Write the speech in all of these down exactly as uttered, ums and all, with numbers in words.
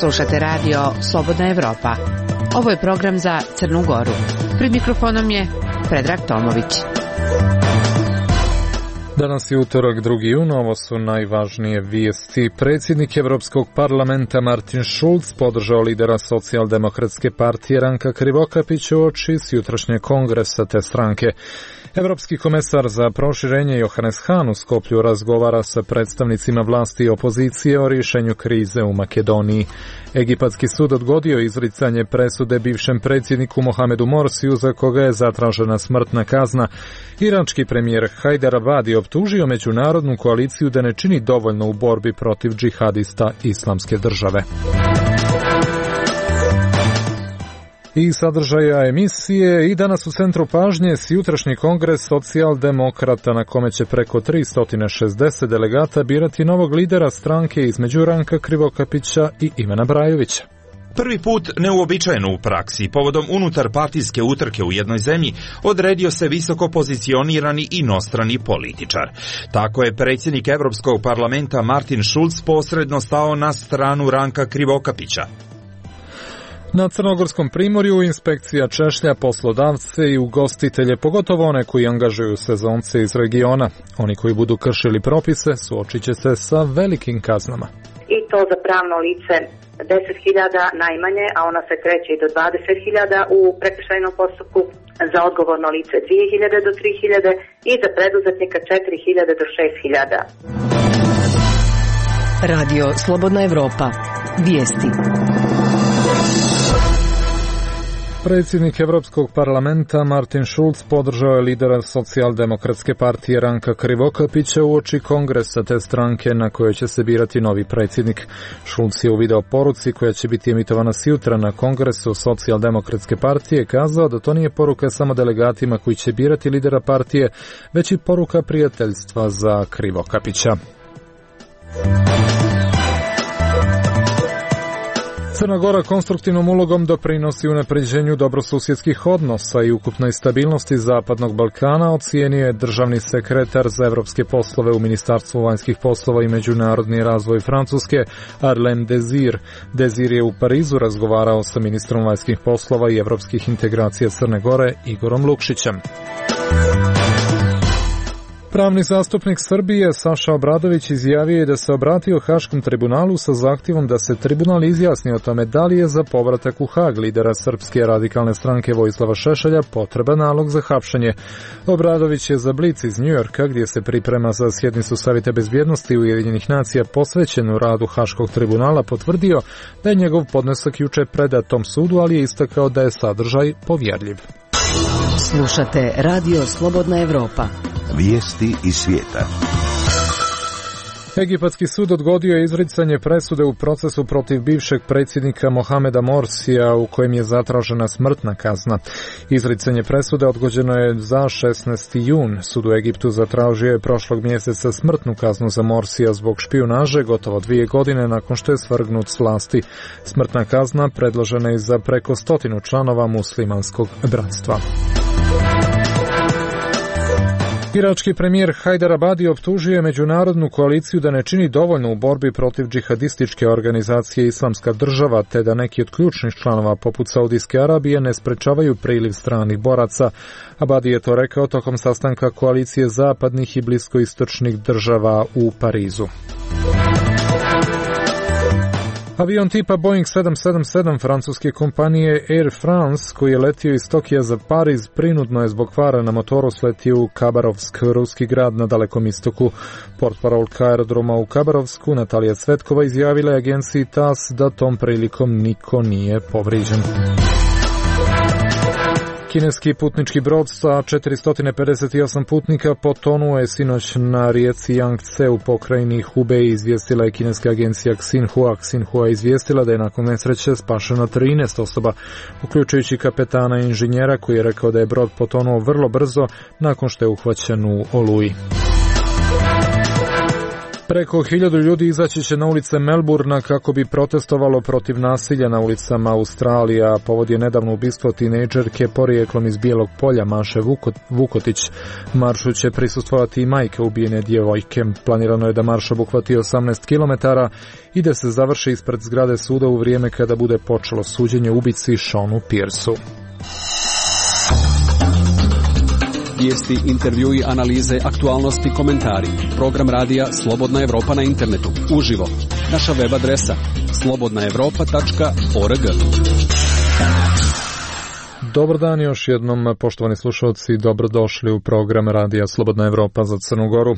Slušate radio Slobodna Evropa. Ovo je program za Crnu Goru. Pred mikrofonom je Predrag Tomović. Danas je utorak, drugi jun, ovo su najvažnije vijesti. Predsjednik Evropskog parlamenta Martin Schulz podržao lidera socijaldemokratske partije Ranka Krivokapića uoči s jutrašnjeg kongresa te stranke. Evropski komesar za proširenje Johannes Hahn u Skoplju razgovara sa predstavnicima vlasti i opozicije o rješenju krize u Makedoniji. Egipatski sud odgodio izricanje presude bivšem predsjedniku Mohamedu Morsiju za koga je zatražena smrtna kazna. Irački premijer Hajder Abadi optužio međunarodnu koaliciju da ne čini dovoljno u borbi protiv džihadista Islamske države. I sadržaja emisije. I danas u centru pažnje s jutrašnji kongres socijaldemokrata na kome će preko tristo šezdeset delegata birati novog lidera stranke između Ranka Krivokapića i Ivana Brajovića. Prvi put neuobičajeno u praksi, povodom unutar partijske utrke u jednoj zemlji, odredio se visoko pozicionirani inostrani političar. Tako je predsjednik Evropskog parlamenta Martin Schulz posredno stao na stranu Ranka Krivokapića. Na Crnogorskom primorju inspekcija češlja poslodavce i ugostitelje, pogotovo one koji angažuju sezonce iz regiona. Oni koji budu kršili propise suočit će se sa velikim kaznama. I to za pravno lice deset hiljada najmanje, a ona se kreće i do dvadeset hiljada u prekršajnom postupku, za odgovorno lice dvije hiljade do tri hiljade i za preduzetnika četiri hiljade do šest hiljada. Radio Slobodna Evropa. Vijesti. Predsjednik Evropskog parlamenta Martin Schulz podržao je lidera socijaldemokratske partije Ranka Krivokapića uoči kongresa te stranke na kojoj će se birati novi predsjednik. Schulz je u video poruci koja će biti emitovana sjutra na kongresu socijaldemokratske partije kazao da to nije poruka samo delegatima koji će birati lidera partije, već i poruka prijateljstva za Krivokapića. Crna Gora konstruktivnom ulogom doprinosi unapređenju dobrosusjedskih odnosa i ukupnoj stabilnosti Zapadnog Balkana, ocijenio je državni sekretar za evropske poslove u Ministarstvu vanjskih poslova i međunarodni razvoj Francuske, Arlem Désir. Désir je u Parizu razgovarao sa ministrom vanjskih poslova i evropskih integracija Crne Gore Igorom Lukšićem. Pravni zastupnik Srbije Saša Obradović izjavio je da se obratio Haškom tribunalu sa zahtjevom da se tribunal izjasni o tome da li je za povratak u Hag lidera Srpske radikalne stranke Vojislava Šešelja potreban nalog za hapšenje. Obradović je za Blic iz Njujorka, gdje se priprema za sjednicu Savjeta bezbjednosti Ujedinjenih nacija posvećenu radu Haškog tribunala, potvrdio da je njegov podnesak juče predat tom sudu, ali je istakao da je sadržaj povjerljiv. Slušate Radio Slobodna Evropa. Vijesti iz svijeta. Egipatski sud odgodio je izricanje presude u procesu protiv bivšeg predsjednika Mohameda Morsija u kojem je zatražena smrtna kazna. Izricanje presude odgođeno je za šesnaesti jun. Sud u Egiptu zatražio je prošlog mjeseca smrtnu kaznu za Morsija zbog špijunaže gotovo dvije godine nakon što je svrgnut s vlasti. Smrtna kazna predložena je za preko stotinu članova muslimanskog bratstva. Irački premijer Hajder Abadi optužio je međunarodnu koaliciju da ne čini dovoljno u borbi protiv džihadističke organizacije Islamska država, te da neki od ključnih članova poput Saudijske Arabije ne sprečavaju priliv stranih boraca. Abadi je to rekao tokom sastanka koalicije zapadnih i bliskoistočnih država u Parizu. Avion tipa Boeing sedam sedam sedam francuske kompanije Air France, koji je letio iz Tokija za Pariz, prinudno je zbog kvara na motoru sletio u Kabarovsk, ruski grad na Dalekom istoku. Portparolka aerodroma u Kabarovsku, Natalija Cvetkova, izjavila je agenciji T A S da tom prilikom niko nije povrijeđen. Kineski putnički brod sa četiristo pedeset osam putnika potonuo je sinoć na rijeci Yangtze u pokrajini Hubei, izvijestila je kineska agencija Xinhua. Xinhua je izvijestila da je nakon nesreće spašeno trinaest osoba, uključujući kapetana i inženjera, koji je rekao da je brod potonuo vrlo brzo nakon što je uhvaćen u oluji. Preko hiljadu ljudi izaći će na ulice Melburna kako bi protestovalo protiv nasilja na ulicama Australije. Povod je nedavno ubistvo tinejdžerke porijeklom iz Bijelog Polja Maše Vukotić. Maršu će prisustvovati i majke ubijene djevojke. Planirano je da marš obuhvati osamnaest kilometara i da se završi ispred zgrade suda u vrijeme kada bude počelo suđenje ubici Seanu Pierceu. Vijesti, intervjui, analize, aktualnosti, komentari. Program radija Slobodna Evropa na internetu. Uživo. Naša web adresa slobodna evropa tačka org. Dobar dan još jednom, poštovani slušalci, dobrodošli u program radija Slobodna Evropa za Crnu Goru.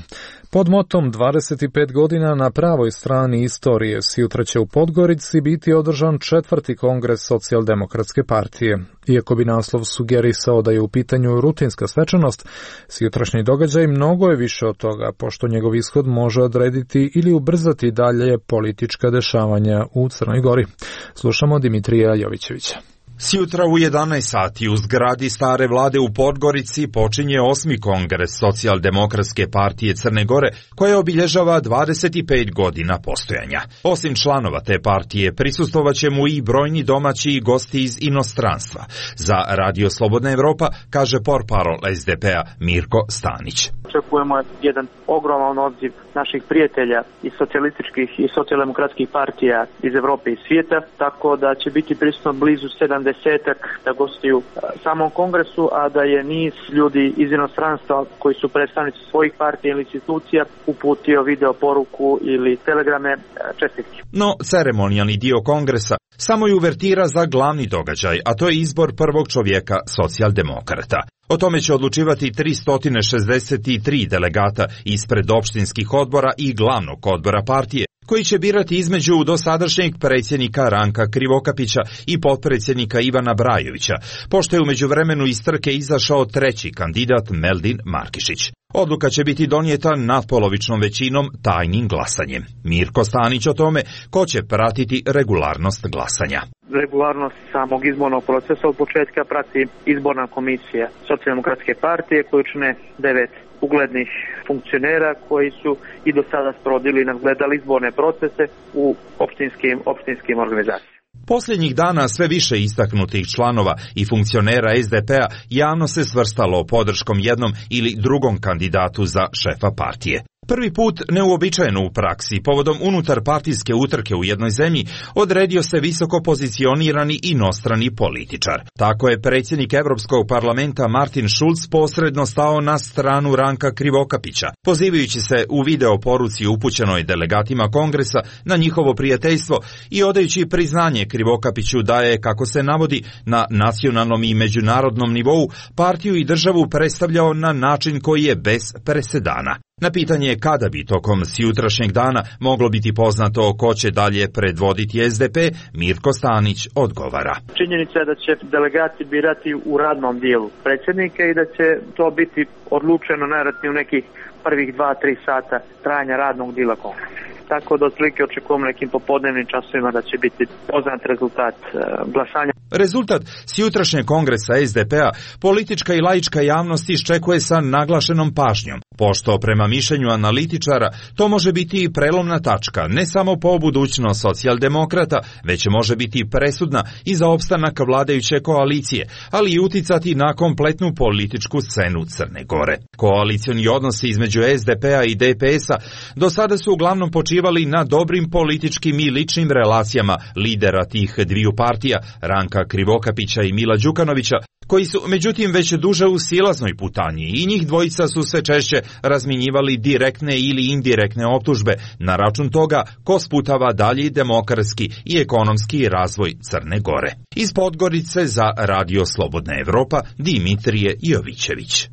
Pod motom dvadeset pet godina na pravoj strani istorije sutra će u Podgorici biti održan četvrti kongres Socijaldemokratske partije. Iako bi naslov sugerisao da je u pitanju rutinska svečanost, sutrašnji događaj mnogo je više od toga, pošto njegov ishod može odrediti ili ubrzati dalje politička dešavanja u Crnoj Gori. Slušamo Dimitrija Jovićevića. Sjutra u jedanaest sati u zgradi stare vlade u Podgorici počinje osmi kongres Socijaldemokratske partije Crne Gore, koja obilježava dvadeset pet godina postojanja. Osim članova te partije, prisustvovaće mu i brojni domaći i gosti iz inostranstva. Za Radio Slobodna Evropa kaže portparol es de pe a Mirko Stanić. Očekujemo jedan ogroman odziv naših prijatelja iz socijalističkih i socijaldemokratskih partija iz Evrope i svijeta, tako da će biti prisutno blizu sedamdesetak da gostuju samom kongresu, a da je niz ljudi iz inostranstva koji su predstavnici svojih partija ili institucija uputio video poruku ili telegrame čestitke. No, ceremonijalni dio kongresa samo je uvertira za glavni događaj, a to je izbor prvog čovjeka socijaldemokrata. O tome će odlučivati tristo šezdeset tri delegata ispred opštinskih odbora i glavnog odbora partije, koji će birati između dosadašnjeg predsjednika Ranka Krivokapića i potpredsjednika Ivana Brajovića, pošto je u međuvremenu iz trke izašao treći kandidat Meldin Markišić. Odluka će biti donijeta natpolovičnom većinom tajnim glasanjem. Mirko Stanić o tome ko će pratiti regularnost glasanja. Regularnost samog izbornog procesa od početka prati izborna komisija Socijaldemokratske partije koju čine devet uglednih funkcionera koji su i do sada sprovodili i nadgledali izborne procese u opštinskim, opštinskim organizacijama. Posljednjih dana sve više istaknutih članova i funkcionera es de pe a javno se svrstalo podrškom jednom ili drugom kandidatu za šefa partije. Prvi put, neuobičajeno u praksi, povodom unutar partijske utrke u jednoj zemlji, odredio se visoko pozicionirani inostrani političar. Tako je predsjednik Evropskog parlamenta Martin Schulz posredno stao na stranu Ranka Krivokapića, pozivajući se u video poruci upućenoj delegatima kongresa na njihovo prijateljstvo i odajući priznanje Krivokapiću da je, kako se navodi, na nacionalnom i međunarodnom nivou partiju i državu predstavljao na način koji je bez presedana. Na pitanje kada bi tokom sjutrašnjeg dana moglo biti poznato ko će dalje predvoditi es de pe, Mirko Stanić odgovara. Činjenica je da će delegati birati u radnom dijelu predsjednika i da će to biti odlučeno najvjerojatnije u nekih prvih dva do tri sata trajanja radnog dijela kongresa. Tako da otprilike očekujemo nekim popodnevnim časovima da će biti poznat rezultat e, glasanja. Rezultat sjutrašnjeg kongresa es de pe a politička i laička javnost iščekuje sa naglašenom pažnjom, pošto prema mišljenju analitičara to može biti i prelomna tačka ne samo po budućnost socijaldemokrata, već može biti presudna i za opstanak vladajuće koalicije, ali i uticati na kompletnu političku scenu Crne Gore. Koalicioni odnosi između es de pe a i de pe es a do sada su uglavnom počivali na dobrim političkim i ličnim relacijama lidera tih dviju partija, Ranka Krivokapića i Mila Đukanovića, koji su međutim već duže u silaznoj putanji i njih dvojica su sve češće razmjenjivali direktne ili indirektne optužbe na račun toga ko sputava dalji demokratski i ekonomski razvoj Crne Gore. Iz Podgorice za Radio Slobodna Evropa, Dimitrije Jovićević.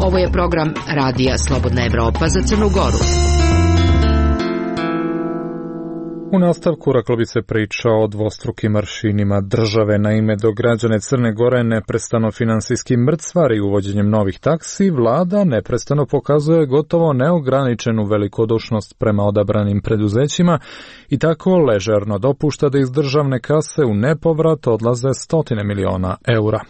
Ovo je program Radija Slobodna Evropa za Crnu Goru. U nastavku reklo bi se priča o dvostrukim aršinima države. Naime, dok građane Crne Gore neprestano finansijski mrcvari uvođenjem novih taksi, vlada neprestano pokazuje gotovo neograničenu velikodušnost prema odabranim preduzećima i tako ležerno dopušta da iz državne kase u nepovrat odlaze stotine miliona eura.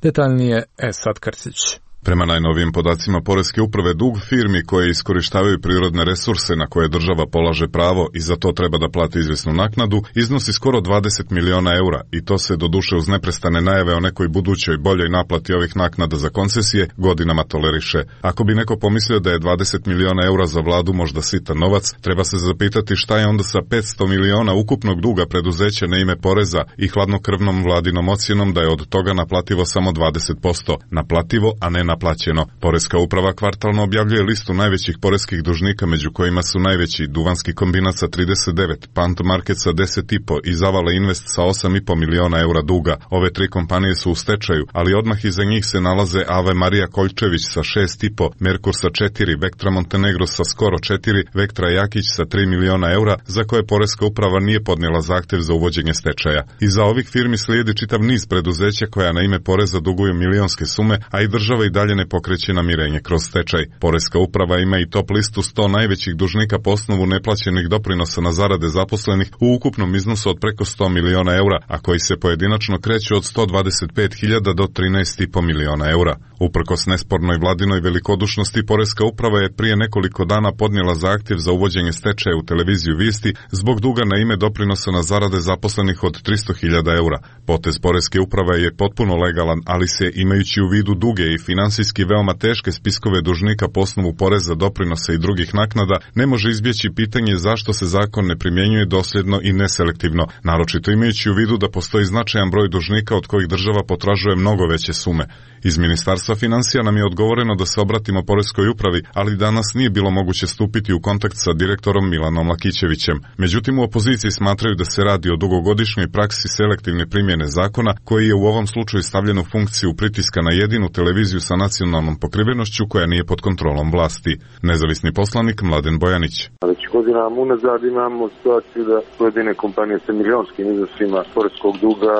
Detaljnije Esad Krstić. Prema najnovijim podacima Poreske uprave, dug firmi koje iskorištavaju prirodne resurse na koje država polaže pravo i za to treba da plati izvjesnu naknadu, iznosi skoro dvadeset miliona eura i to se doduše uz neprestane najave o nekoj budućoj boljoj naplati ovih naknada za koncesije godinama toleriše. Ako bi neko pomislio da je dvadeset miliona eura za vladu možda sitan novac, treba se zapitati šta je onda sa petsto miliona ukupnog duga preduzeća na ime poreza i hladnokrvnom vladinom ocjenom da je od toga naplativo samo dvadeset posto. Naplativo, a ne naplaćeno. Poreska uprava kvartalno objavljuje listu najvećih poreskih dužnika, među kojima su najveći Duvanski kombinat sa trideset devet, Pant Market sa deset i po i Zavala Invest sa osam i po miliona eura duga. Ove tri kompanije su u stečaju, ali odmah iza njih se nalaze Ave Marija Koljčević sa šest i po, Merkur sa četiri, Vektra Montenegro sa skoro četiri, Vektra Jakić sa tri miliona eura, za koje Poreska uprava nije podnijela zahtjev za uvođenje stečaja. Iza ovih firmi slijedi čitav niz preduzeća koja na ime poreza duguju milionske sume, a i država i dalje ne pokreće namirenje kroz stečaj. Poreska uprava ima i top listu sto najvećih dužnika po osnovu neplaćenih doprinosa na zarade zaposlenih u ukupnom iznosu od preko sto miliona eura, a koji se pojedinačno kreću od sto dvadeset pet hiljada do trinaest i po miliona eura. Uprkos nespornoj vladinoj velikodušnosti, Poreska uprava je prije nekoliko dana podnijela zahtjev za uvođenje stečaja u televiziju Vijesti zbog duga na ime doprinosa na zarade zaposlenih od tristo hiljada eura. Potez Poreske uprave je potpuno legalan, ali se, imajući u vidu duge i finansijski veoma teške spiskove dužnika po osnovu poreza, doprinosa i drugih naknada, ne može izbjeći pitanje zašto se zakon ne primjenjuje dosljedno i neselektivno, naročito imajući u vidu da postoji značajan broj dužnika od kojih država potražuje mnogo veće sume. Iz Ministarstva financija nam je odgovoreno da se obratimo Poreskoj upravi, ali danas nije bilo moguće stupiti u kontakt sa direktorom Milanom Lakićevićem. Međutim, u opoziciji smatraju da se radi o dugogodišnjoj praksi selektivne primjene zakona, koji je u ovom slučaju stavljen u funkciju pritiska na jedinu televiziju sa nacionalnom pokrivenošću koja nije pod kontrolom vlasti. Nezavisni poslanik Mladen Bojanić. Već godinama unazad imamo situaciju da pojedine kompanije sa milionskim iznosima poreskog duga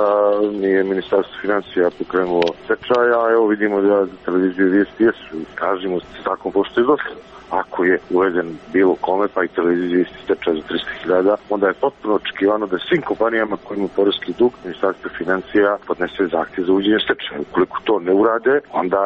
nije Ministarstvo financija pokrenulo stečaja, a evo vidimo da za televiziju Vijesti jesu. Kažemo se tako pošto je došlo. Ako je uveden bilo kome, pa i televiziji stečaj za tristo hiljada, onda je potpuno očekivano da svim kompanijama koji imaju poreski dug, Ministarstvo financija podnese zahtjev za uvođenje stečaja. Ukoliko to ne urade, onda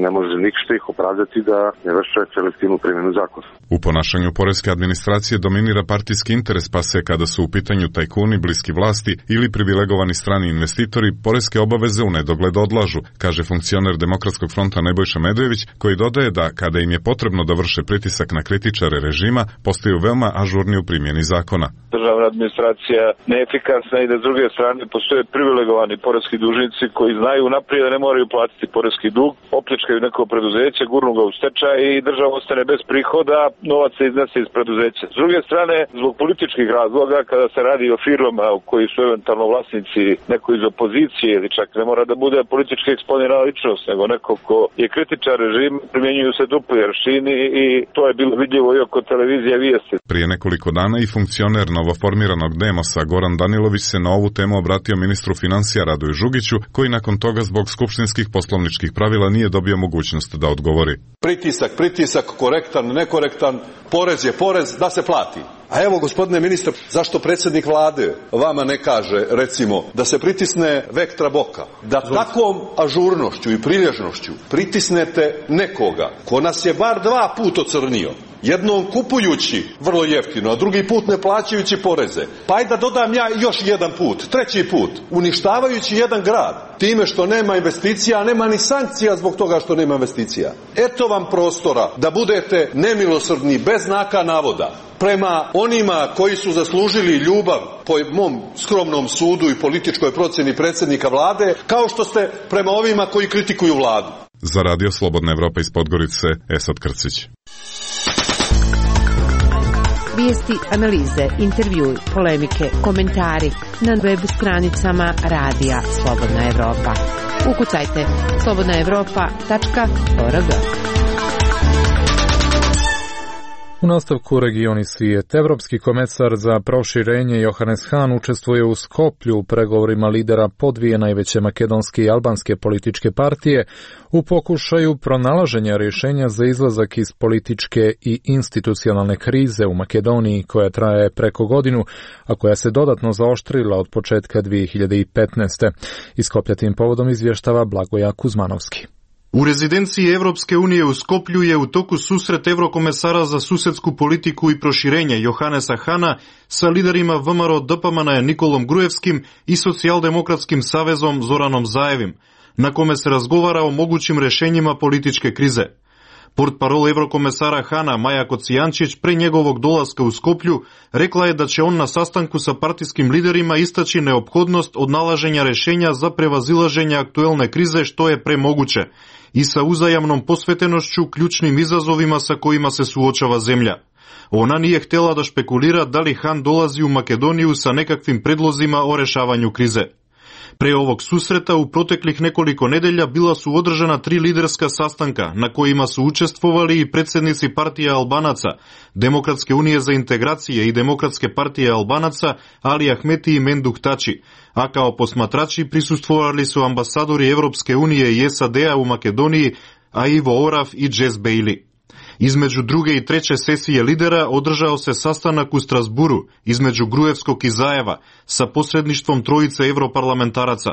ne može ništa ih opravdati da ne vrše selektivnu primjenu zakona. U ponašanju poreske administracije dominira partijski interes, pa se kada su u pitanju tajkuni, bliski vlasti ili privilegovani strani investitori, poreske obaveze u nedogled odlažu, kaže funkcioner Demokratskog fronta Nebojša Medojević, koji dodaje da kada im je potrebno da vrše pritisak na kritičare režima, postaju veoma ažurni u primjeni zakona. Državna administracija neefikasna i da s druge strane postoje privilegovani poreski dužnici koji znaju naprijed da ne moraju platiti poreski dug, opljačkaju neko preduzeće, gurnu ga u stečaj i država ostane bez prihoda, novac se iznese iz preduzeća. S druge strane, zbog političkih razloga, kada se radi o firmama u koji su eventualno vlasnici neko iz opozicije ili čak ne mora da bude politički eksponirana ličnost, nego neko ko je kritičar režima, primjenjuju se dupli aršini i to je bilo vidljivo i oko televizije Vijesti. Prije nekoliko dana i funkcioner novoformiranog Demosa Goran Danilović se na ovu temu obratio ministru financija Radoju Žugiću, koji nakon toga zbog skupštinskih poslovničkih pravila nije dobio mogućnost da odgovori. Pritisak, pritisak, korektan, nekorektan, porez je porez, da se plati. A evo, gospodine ministre, zašto predsjednik vlade vama ne kaže, recimo, da se pritisne Vektra Boka, da takvom ažurnošću i prilježnošću pritisnete nekoga ko nas je bar dva put ocrnio, jednom kupujući vrlo jeftino, a drugi put ne plaćajući poreze. Pa ajde da dodam ja još jedan put, treći put, uništavajući jedan grad, time što nema investicija, a nema ni sankcija zbog toga što nema investicija. Eto vam prostora da budete nemilosrdni, bez znaka navoda, prema onima koji su zaslužili ljubav po mom skromnom sudu i političkoj procjeni predsjednika vlade, kao što ste prema ovima koji kritikuju vladu. Za Radio Slobodna Evropa iz Podgorice, Esad Krcić. Vijesti, analize, intervjui, polemike, komentari na web stranicama Radija Slobodna Evropa. Ukucajte slobodna evropa tačka org. U nastavku regioni svijet, Evropski komesar za proširenje Johannes Hahn učestvuje u Skoplju u pregovorima lidera po dvije najveće makedonske i albanske političke partije u pokušaju pronalaženja rješenja za izlazak iz političke i institucionalne krize u Makedoniji koja traje preko godinu, a koja se dodatno zaoštrila od početka dvije hiljade petnaeste. Iz Skoplja tim povodom izvještava Blagoja Kuzmanovski. U rezidenciji Evropske unije u Skoplju je u toku susret Evrokomesara za susedsku politiku i proširenje Johanesa Hana sa liderima V M R O D P M N-a Nikolom Grujevskim i Socijaldemokratskim savezom Zoranom Zajevim, na kome se razgovara o mogućim rešenjima političke krize. Portparol Evrokomesara Hana Maja Kocijančić pre njegovog dolaska u Skoplju rekla je da će on na sastanku sa partijskim liderima istaći neophodnost odnalaženja rešenja za prevazilaženje aktuelne krize što je pre moguće i sa uzajamnom posvetenošću ključnim izazovima sa kojima se suočava zemlja. Ona nije htjela da špekulira da li Han dolazi u Makedoniju sa nekakvim predlozima o rešavanju krize. Pre ovog susreta u proteklih nekoliko nedelja bila su održana tri liderska sastanka na kojima su učestvovali i predsjednici partije Albanaca, Demokratske unije za integracije i Demokratske partije Albanaca Ali Ahmeti i Menduk Tači, a kao posmatrači prisustvovali su ambasadori Evropske unije i S A D-a u Makedoniji, a Ivo Oraf i Jess Bailey. Između druge i treće sesije lidera održao se sastanak u Strasburu između Grujevskog i Zajeva sa posredništvom trojice evroparlamentaraca.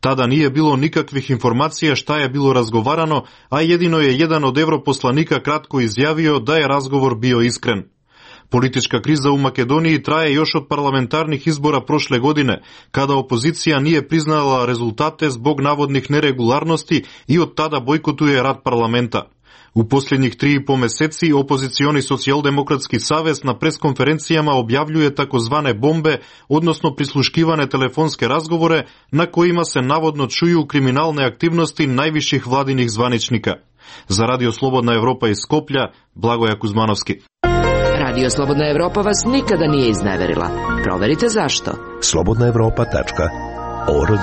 Tada nije bilo nikakvih informacija šta je bilo razgovarano, a jedino je jedan od evroposlanika kratko izjavio da je razgovor bio iskren. Politička kriza u Makedoniji traje još od parlamentarnih izbora prošle godine, kada opozicija nije priznala rezultate zbog navodnih neregularnosti i od tada bojkotuje rad parlamenta. U posljednjih tri i po meseci opozicioni Socijaldemokratski savez na preskonferencijama objavljuje takozvane bombe, odnosno prisluškivane telefonske razgovore na kojima se navodno čuju kriminalne aktivnosti najviših vladinih zvaničnika. Za Radio Slobodna Evropa iz Skoplja, Blagoja Kuzmanovski. Radio Slobodna Evropa vas nikada nije izneverila. Proverite zašto. slobodna evropa tačka org.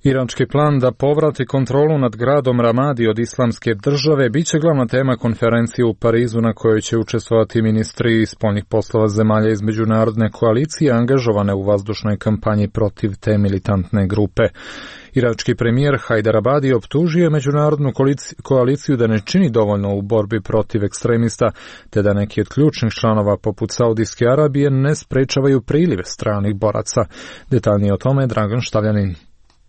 Iranski plan da povrati kontrolu nad gradom Ramadi od islamske države bit će glavna tema konferencije u Parizu na kojoj će učestvovati ministri spoljnih poslova zemalja iz međunarodne koalicije angažovane u vazdušnoj kampanji protiv te militantne grupe. Irački premijer Hajdar Abadi optužio međunarodnu koaliciju da ne čini dovoljno u borbi protiv ekstremista, te da neki od ključnih članova poput Saudijske Arabije ne sprečavaju priliv stranih boraca. Detaljnije o tome Dragan Štavljanin.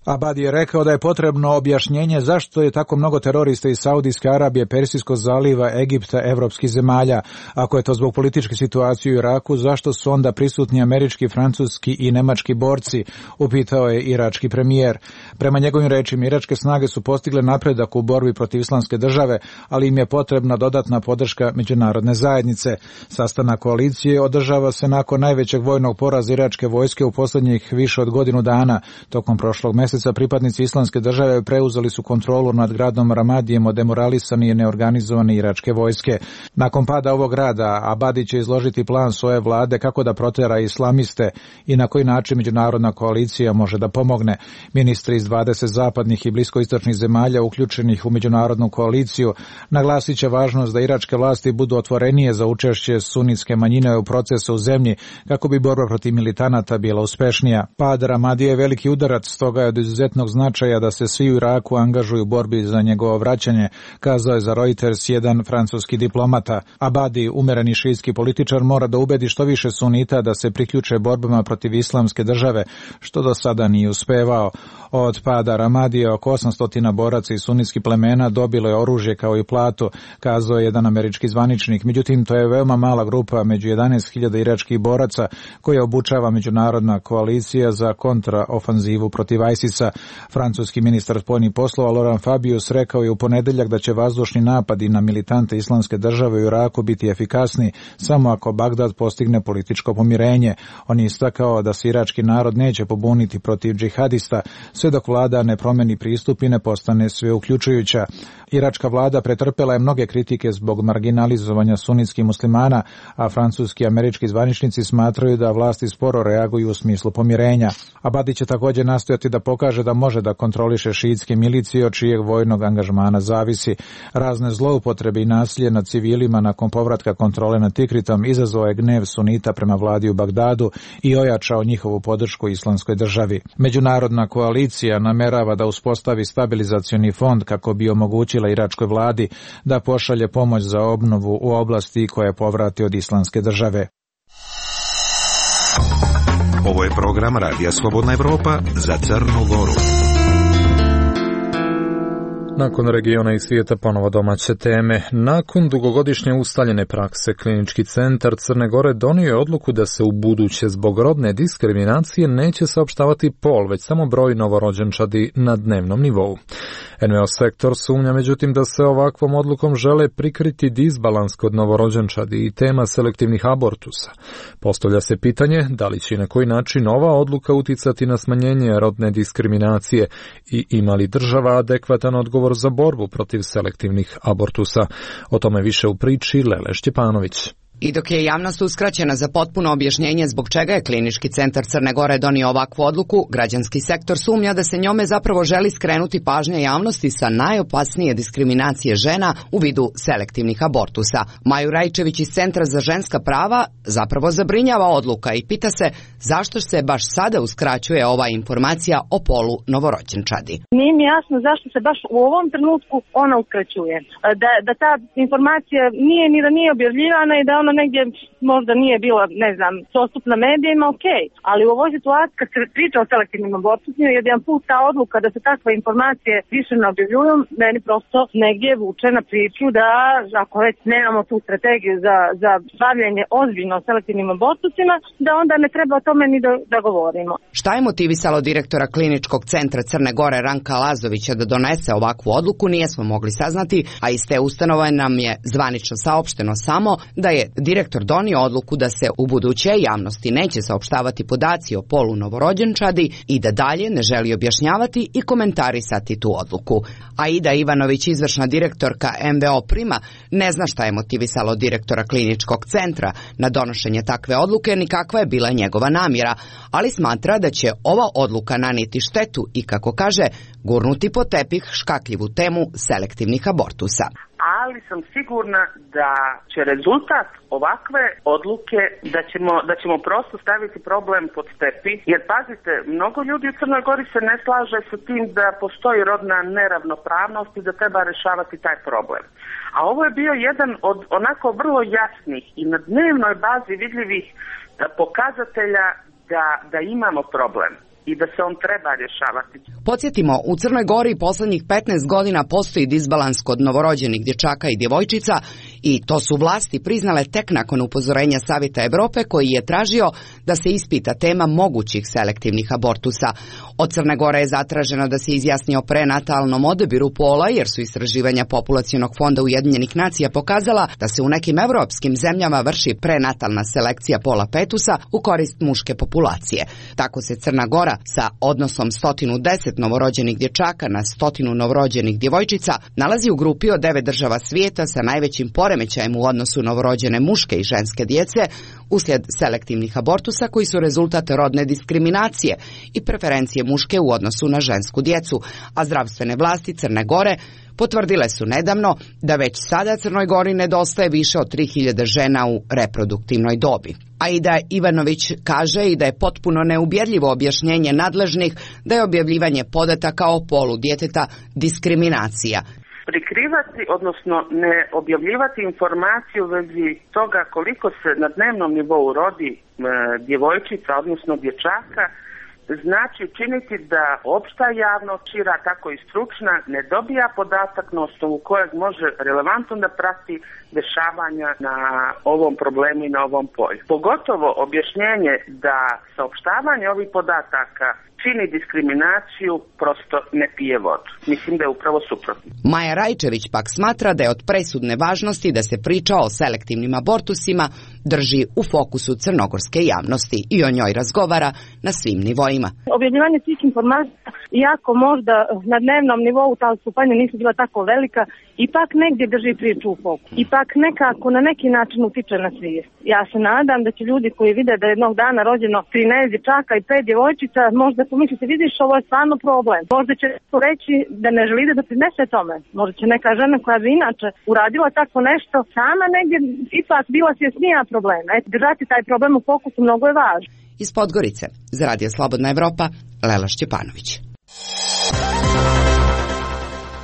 Abadi je rekao da je potrebno objašnjenje zašto je tako mnogo terorista iz Saudijske Arabije, Persijskog zaliva, Egipta, evropskih zemalja. Ako je to zbog političke situacije u Iraku, zašto su onda prisutni američki, francuski i nemački borci, upitao je irački premijer. Prema njegovim rečima, iračke snage su postigle napredak u borbi protiv islamske države, ali im je potrebna dodatna podrška međunarodne zajednice. Sastanak koalicije održava se nakon najvećeg vojnog poraza iračke vojske u posljednjih više od godinu dana. Tokom prošlog mjeseca pripadnici islamske države preuzeli su kontrolu nad gradom Ramadijem od demoralisane i neorganizovane iračke vojske. Nakon pada ovog grada, Abadi će izložiti plan svoje vlade kako da protera islamiste i na koji način međunarodna koalicija može da pomogne. Ministri iz dvadeset zapadnih i bliskoistočnih zemalja uključenih u međunarodnu koaliciju naglasit će važnost da iračke vlasti budu otvorenije za učešće sunitske manjine u procesu u zemlji kako bi borba protiv militanata bila uspešnija. Pad Ramadije je veliki udarac, stoga je od izuzetnog značaja da se svi u Iraku angažuju u borbi za njegovo vraćanje, kazao je za Reuters jedan francuski diplomata. Abadi, umereni šiitski političar, mora da ubedi što više sunita da se priključe borbama protiv islamske države, što do sada nije uspevao. Od pada Ramadije oko osamsto boraca i sunitskih plemena dobilo je oružje kao i platu, kazao je jedan američki zvaničnik. Međutim, to je veoma mala grupa među jedanaest hiljada iračkih boraca koje obučava međunarodna koalicija za kontraofanzivu protiv ISIS-a. Francuski ministar spoljnih poslova Laurent Fabius rekao je u ponedeljak da će vazdušni napadi na militante islamske države u Iraku biti efikasni samo ako Bagdad postigne političko pomirenje. On je istakao da se irački narod neće pobuniti protiv džihadista sve dok vlada ne promeni pristup i ne postane sve uključujuća. Iračka vlada pretrpela je mnoge kritike zbog marginalizovanja sunitskih muslimana, a francuski i američki zvaničnici smatraju da vlasti sporo reaguju u smislu pomirenja. Abadi će također nastojati da pokaže da može da kontroliše šiitske milicije od čijeg vojnog angažmana zavisi. Razne zloupotrebe i nasilje nad civilima nakon povratka kontrole nad Tikritom izazvao je gnev sunita prema vladi u Bagdadu i ojačao njihovu podršku islamskoj državi. Međunarodna koalicija namerava da uspostavi stabilizacioni fond kako bi omogućila iračkoj vladi da pošalje pomoć za obnovu u oblasti koje povrati od islamske države. Ovo je program Radija Slobodna Evropa za Crnu Goru. Nakon regiona i svijeta ponovo domaće teme. Nakon dugogodišnje ustaljene prakse, Klinički centar Crne Gore donio je odluku da se u buduće zbog rodne diskriminacije neće saopštavati pol, već samo broj novorođenčadi na dnevnom nivou. en ve o sektor sumnja međutim da se ovakvom odlukom žele prikriti disbalans kod novorođenčadi i tema selektivnih abortusa. Postavlja se pitanje da li će i na koji način ova odluka uticati na smanjenje rodne diskriminacije i ima li država adekvatan odgovor za borbu protiv selektivnih abortusa. O tome više u priči Lele Šćepanović. I dok je javnost uskraćena za potpuno objašnjenje zbog čega je Klinički centar Crne Gore donio ovakvu odluku, građanski sektor sumnja da se njome zapravo želi skrenuti pažnja javnosti sa najopasnije diskriminacije žena u vidu selektivnih abortusa. Maju Rajčević iz Centra za ženska prava zapravo zabrinjava odluka i pita se zašto se baš sada uskraćuje ova informacija o polu novorođenčadi. Nije mi jasno zašto se baš u ovom trenutku ona uskraćuje. Da, da ta informacija nije ni da nije objavljivana i da ona negdje možda nije bila, ne znam, dostupna medijima, ok. Ali u ovoj situaciji, kad se priča o selektivnim abortusima, jedan put ta odluka da se takve informacije više ne objavljuju, meni prosto negdje vuče na priču da, ako već nemamo tu strategiju za, za bavljanje ozbiljno selektivnim abortusima, da onda ne treba o tome ni da, da govorimo. Šta je motivisalo direktora Kliničkog centra Crne Gore Ranka Lazovića da donese ovakvu odluku, nijesmo mogli saznati, a iz te ustanove nam je zvanično saopšteno samo da je direktor donio odluku da se u buduće javnosti neće saopštavati podaci o polu novorođenčadi i da dalje ne želi objašnjavati i komentarisati tu odluku. Aida Ivanović, izvršna direktorka en ve o Prima, ne zna šta je motivisalo direktora Kliničkog centra na donošenje takve odluke ni kakva je bila njegova namjera, ali smatra da će ova odluka nanijeti štetu i, kako kaže, gurnuti pod tepih škakljivu temu selektivnih abortusa. Ali sam sigurna da će rezultat ovakve odluke da ćemo, da ćemo prosto staviti problem pod tepih, jer pazite, mnogo ljudi u Crnoj Gori se ne slaže sa tim da postoji rodna neravnopravnost i da treba rešavati taj problem. A ovo je bio jedan od onako vrlo jasnih i na dnevnoj bazi vidljivih pokazatelja da, da imamo problem i da se on treba rješavati. Podsjetimo, u Crnoj Gori poslednjih petnaest godina postoji disbalans kod novorođenih dječaka i djevojčica i to su vlasti priznale tek nakon upozorenja Savjeta Evrope koji je tražio da se ispita tema mogućih selektivnih abortusa. Od Crne Gore je zatraženo da se izjasni o prenatalnom odabiru pola jer su istraživanja Populacionog fonda Ujedinjenih nacija pokazala da se u nekim evropskim zemljama vrši prenatalna selekcija pola fetusa u korist muške populacije. Tako se Crna Gora sa odnosom sto deset novorođenih dječaka na sto novorođenih djevojčica nalazi u grupi od devet država svijeta sa najvećim poremećajem u odnosu novorođene muške i ženske djece uslijed selektivnih abortusa koji su rezultat rodne diskriminacije i preferencije muške u odnosu na žensku djecu, a zdravstvene vlasti Crne Gore potvrdile su nedavno da već sada Crnoj Gori nedostaje više od tri hiljade žena u reproduktivnoj dobi. Aida Ivanović kaže i da je potpuno neubjedljivo objašnjenje nadležnih da je objavljivanje podataka o polu djeteta diskriminacija. Prikrivati, odnosno ne objavljivati informaciju u vezi toga koliko se na dnevnom nivou rodi e, djevojčica, odnosno dječaka, znači činiti da opšta javnost, šira tako i stručna, ne dobija podatak na osnovu kojeg može relevantno da prati dešavanja na ovom problemu i na ovom polju. Pogotovo objašnjenje da saopštavanje ovih podataka čini diskriminaciju prosto ne pije vodu. Mislim da je upravo suprotno. Maja Rajčević pak smatra da je od presudne važnosti da se priča o selektivnim abortusima drži u fokusu crnogorske javnosti i o njoj razgovara na svim nivoima. Objavljivanje svih informacija, iako možda na dnevnom nivou ta odstupanja nisu bila tako velika, ipak negdje drži priču u fokusu. Ipak nekako na neki način utiče na svijest. Ja se nadam da će ljudi koji vide da je jednog dana rođeno trinaest dječaka i pet djevojčica, možda pomislite, vidiš, ovo je stvarno problem. Možda će reći da ne želi da doprinese tome. Možda će neka žena koja bi inače uradila tako nešto, sama negdje ipak bila svjesnija problema. Eto, držati taj problem u fokusu mnogo je važno. Iz Podgorice, za Radio Slobodna Evropa, Lela Šćepanović.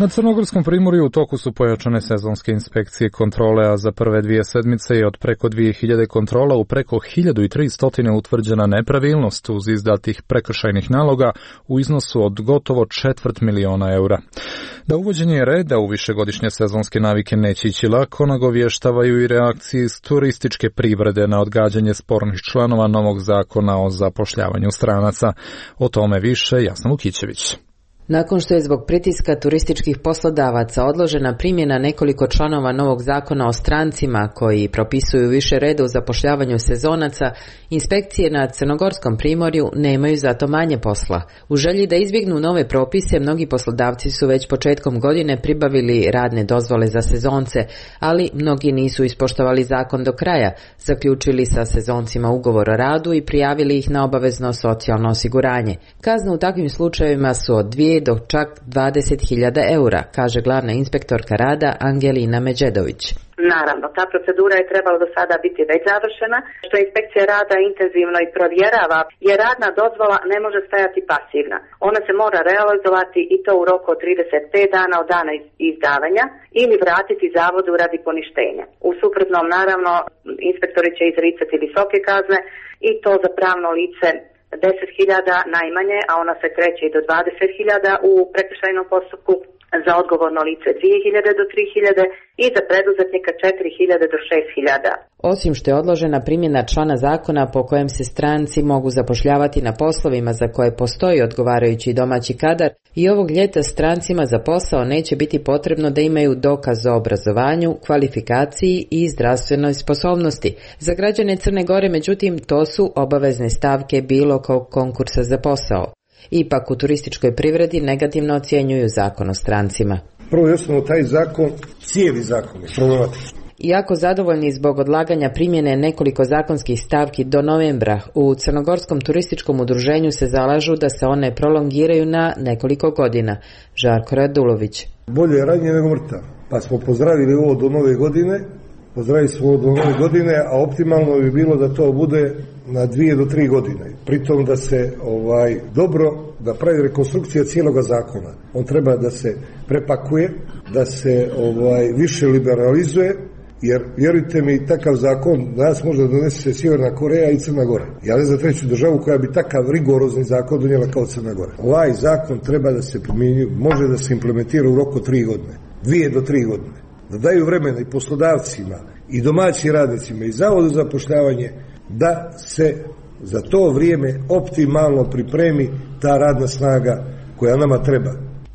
Na Crnogorskom primorju u toku su pojačane sezonske inspekcije kontrole, a za prve dvije sedmice je od preko dvije hiljade kontrola u preko hiljadu tristo utvrđena nepravilnost uz izdatih prekršajnih naloga u iznosu od gotovo četvrt miliona eura. Da uvođenje reda u višegodišnje sezonske navike neće ići lako, nagovještavaju i reakcije iz turističke privrede na odgađanje spornih članova novog zakona o zapošljavanju stranaca. O tome više Jasna Vukićević. Nakon što je zbog pritiska turističkih poslodavaca odložena primjena nekoliko članova novog zakona o strancima koji propisuju više reda u zapošljavanju sezonaca, inspekcije na Crnogorskom primorju nemaju zato manje posla. U želji da izbjegnu nove propise, mnogi poslodavci su već početkom godine pribavili radne dozvole za sezonce, ali mnogi nisu ispoštovali zakon do kraja, zaključili sa sezoncima ugovor o radu i prijavili ih na obavezno socijalno osiguranje. Kazne u takvim slučajevima su od dvije do čak dvadeset hiljada eura, kaže glavna inspektorka rada Angelina Međedović. Naravno, ta procedura je trebala do sada biti već završena, što inspekcija rada intenzivno i provjerava, jer radna dozvola ne može stajati pasivna. Ona se mora realizovati i to u roku od trideset pet dana od dana izdavanja ili vratiti zavodu radi poništenja. U suprotnom, naravno, inspektori će izricati visoke kazne i to za pravno lice deset hiljada najmanje, a ona se kreće i do dvadeset hiljada u prekršajnom postupku, za odgovorno lice dvije hiljade do tri hiljade i za preduzetnika četiri hiljade do šest hiljada. Osim što je odložena primjena člana zakona po kojem se stranci mogu zapošljavati na poslovima za koje postoji odgovarajući domaći kadar, i ovog ljeta strancima za posao neće biti potrebno da imaju dokaz o obrazovanju, kvalifikaciji i zdravstvenoj sposobnosti. Za građane Crne Gore, međutim, to su obavezne stavke bilo kog konkursa za posao. Ipak u turističkoj privredi negativno ocjenjuju zakon o strancima. Prvo i osnovno, taj zakon, cijeli zakon je problematičan. Iako zadovoljni zbog odlaganja primjene nekoliko zakonskih stavki do novembra, u Crnogorskom turističkom udruženju se zalažu da se one prolongiraju na nekoliko godina. Žarko Radulović. Bolje je ranije nego mrtav, pa smo pozdravili ovo do nove godine, pozdravili smo ovo do nove godine, a optimalno bi bilo da to bude na dvije do tri godine. Pritom da se ovaj dobro da pravi rekonstrukcija cijeloga zakona. On treba da se prepakuje, da se ovaj više liberalizuje, jer vjerujte mi, takav zakon danas može da donese Sjeverna Koreja i Crna Gora. Ja ne znam treću državu koja bi takav rigorozni zakon donijela kao Crna Gora. Ovaj zakon treba da se primjenjuje, može da se implementira u roku tri godine, dvije do tri godine. Da daju vremena i poslodavcima i domaćim radnicima i zavodu za zapošljavanje da se za to vrijeme optimalno pripremi ta radna snaga koja nama treba.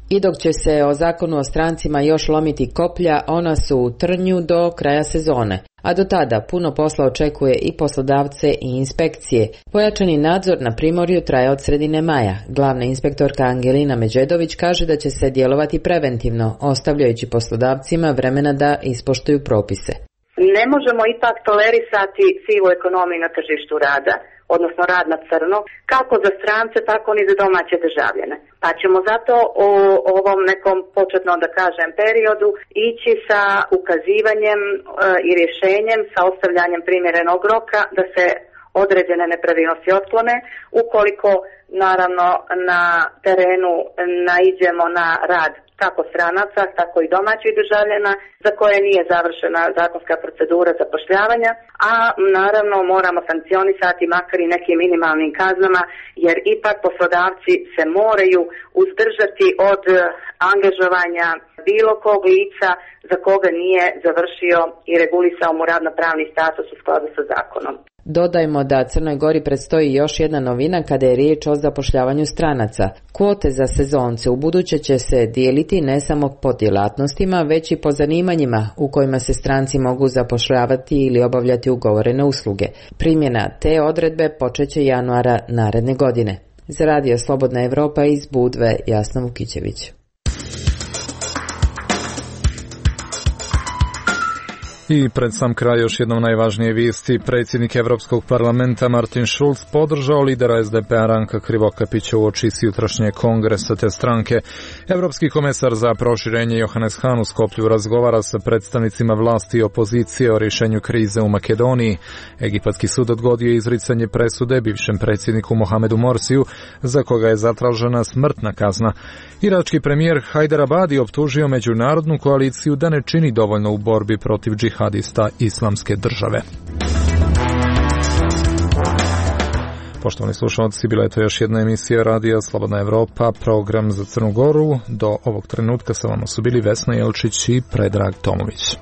I dok će se o zakonu o strancima još lomiti koplja, ona su u trnju do kraja sezone. A do tada puno posla očekuje i poslodavce i inspekcije. Pojačani nadzor na primorju traje od sredine maja. Glavna inspektorka Angelina Međedović kaže da će se djelovati preventivno, ostavljajući poslodavcima vremena da ispoštuju propise. Ne možemo ipak tolerisati sivu ekonomiju na tržištu rada, odnosno rad na crno, kako za strance, tako ni za domaće državljane. Pa ćemo zato u ovom nekom početnom, da kažem, periodu ići sa ukazivanjem e, i rješenjem, sa ostavljanjem primjerenog roka da se određene nepravilnosti otklone, ukoliko naravno na terenu naiđemo na rad kako stranaca, tako i domaćih državljana za koje nije završena zakonska procedura zapošljavanja, a naravno moramo sankcionisati makar i nekim minimalnim kaznama, jer ipak poslodavci se moraju uzdržati od angažovanja bilo kog lica za koga nije završio i regulisao mu radnopravni status u skladu sa zakonom. Dodajmo da Crnoj Gori predstoji još jedna novina kada je riječ o zapošljavanju stranaca. Kvote za sezonce u buduće će se dijeliti ne samo po djelatnostima, već i po zanimanjima u kojima se stranci mogu zapošljavati ili obavljati ugovorene usluge. Primjena te odredbe počeće januara naredne godine. Za Radio Slobodna Evropa iz Budve, Jasna Vukićević. I pred sam kraj još jednom najvažnije vijesti. Predsjednik Europskog parlamenta Martin Schulz podržao lidera S D P-a Ranka Krivokapića uoči jutrašnjeg kongresa te stranke. Europski komesar za proširenje Johannes Hahn u Skoplju razgovara sa predstavnicima vlasti i opozicije o rješenju krize u Makedoniji. Egipatski sud odgodio izricanje presude bivšem predsjedniku Mohamedu Morsiju, za koga je zatražena smrtna kazna. Irački premijer Hajder Abadi optužio međunarodnu koaliciju da ne čini dovoljno u borbi protiv džihadista Islamske države. Poštovani slušalci, bila je to još jedna emisija Radija Slobodna Evropa, program za Crnu Goru. Do ovog trenutka sa vama su bili Vesna Jelčić i Predrag Tomović.